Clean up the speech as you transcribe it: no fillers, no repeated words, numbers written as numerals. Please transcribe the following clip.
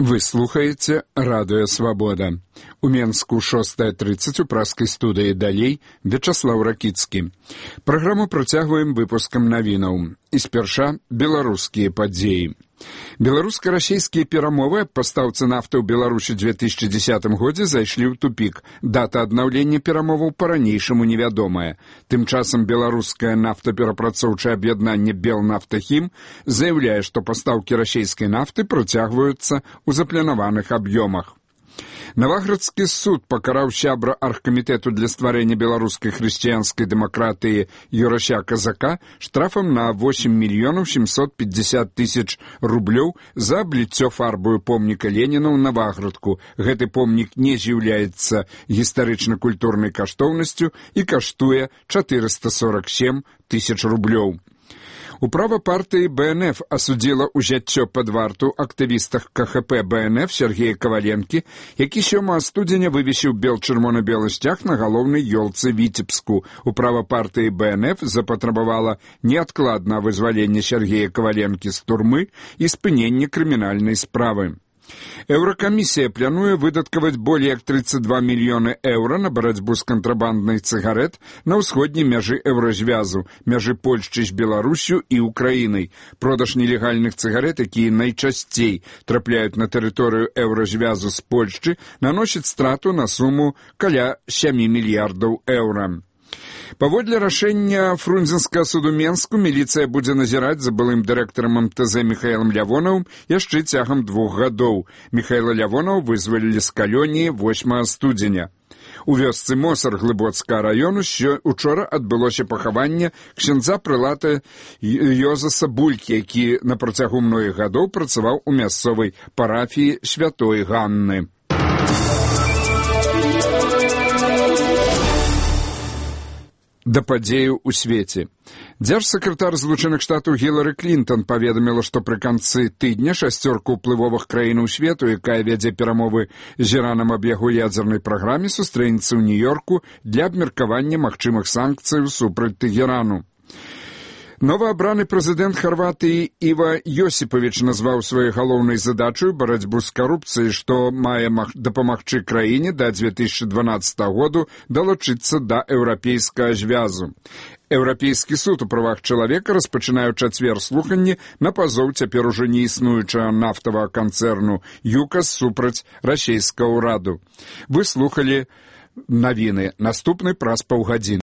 Вы слухаеце радыё «Свабода». У Менску 6:30 у праскай студыі «Далей» Вячаслаў Ракіцкі. Праграму працягваем выпускам навінаў. І спярша беларускія падзеі. Беларуска-расійскія перамовы аб пастаўцы нафты ў Беларусі 2010 годзе зайшлі ў тупік. Дата аднаўлення перамоваў па-ранейшаму невядомая. Тым часам беларускае нафтаперапрацоўчае аб'яднанне «Белнафтахім» заяўляе, што пастаўкі расійскай нафты працягваюцца ў запланаваных аб'ёмах. Наваградскі суд пакараў сябра аргкамітэту для стварэння беларускай хрысціянскай дэмакратыі Юрася Казака штрафам на 8 750 000 рублёў за абліццё фарбою помніка Леніна ў Наваградку. Гэты помнік не з'яўляецца гістарычна-культурнай каштоўнасцю і каштуе 447 000 рублёў. Управа партыі БНФ асудзіла ўзяццё пад варту актывістах КХП БНФ Сергея Каваленкі, які 7 студзеня вывесіў бел-чырвона-белы сцяг на галоўнай ёлцы Віцебску. Управа партыі БНФ запатрабавала неадкладна вызвалення Сергея Каваленкі з турмы і спынення крымінальнай справы. Еўракамісія плануе выдаткаваць болей як 32 мільёны еўра на барацьбу з кантрабанднай цыгарэт на ўсходняй мяжы Еўразвязу, мяжы Польшчы з Беларусю і Украінай. Продаж нелегальных цыгарэт, якія найчасцей трапляюць на тэрыторыю Еўразвязу з Польшчы, наносіць страту на суму каля 7 мільярдаў еўра. Паводле рашэння Фрунзенскага суду Менску міліцыя будзе назіраць за былым дырэктарам МТЗ Михаілам Лявонавым яшчэ цягам 2 гадоў. Михаіла Лявонова вызвалілі з калоніі 8 студзеня. У вёсцы Мосар Глыбоцкага раёну учора адбылося пахаванне ксяндза прылата Йозаса Булькі, які на працягу многіх гадоў працаваў у мясцовай парафіі Святой Ганны. Да падзеяў у свеце. Дзяржсакратар Злучаных Штатаў Гілары Клінтон паведаміла, што пры канцы тыдня 6 ўплывовых краінаў свету, якая вядзе перамовы з Іранам аб яго ядзернай праграме, сустрэнецца ў Нью-Йорку для абмеркавання магчымых санкцыяў супраць Тэгэрану. Новаабраны прэзідэнт Харватыі Іва Йосіпавіч назваў сваёй галоўнай задачай барацьбу з карупцыяй, што мае дапамагчы краіне да 2012 году далучыцца да еўрапейскага звязу. Еўрапейскі суд у правах чалавека распачынае ў чацвер слуханні на пазоў цяпер ужо не існуючага нафтавага канцэрну ЮКАС супраць расійскага ўраду. Вы слухалі навіны. Наступны праз паўгадзіны.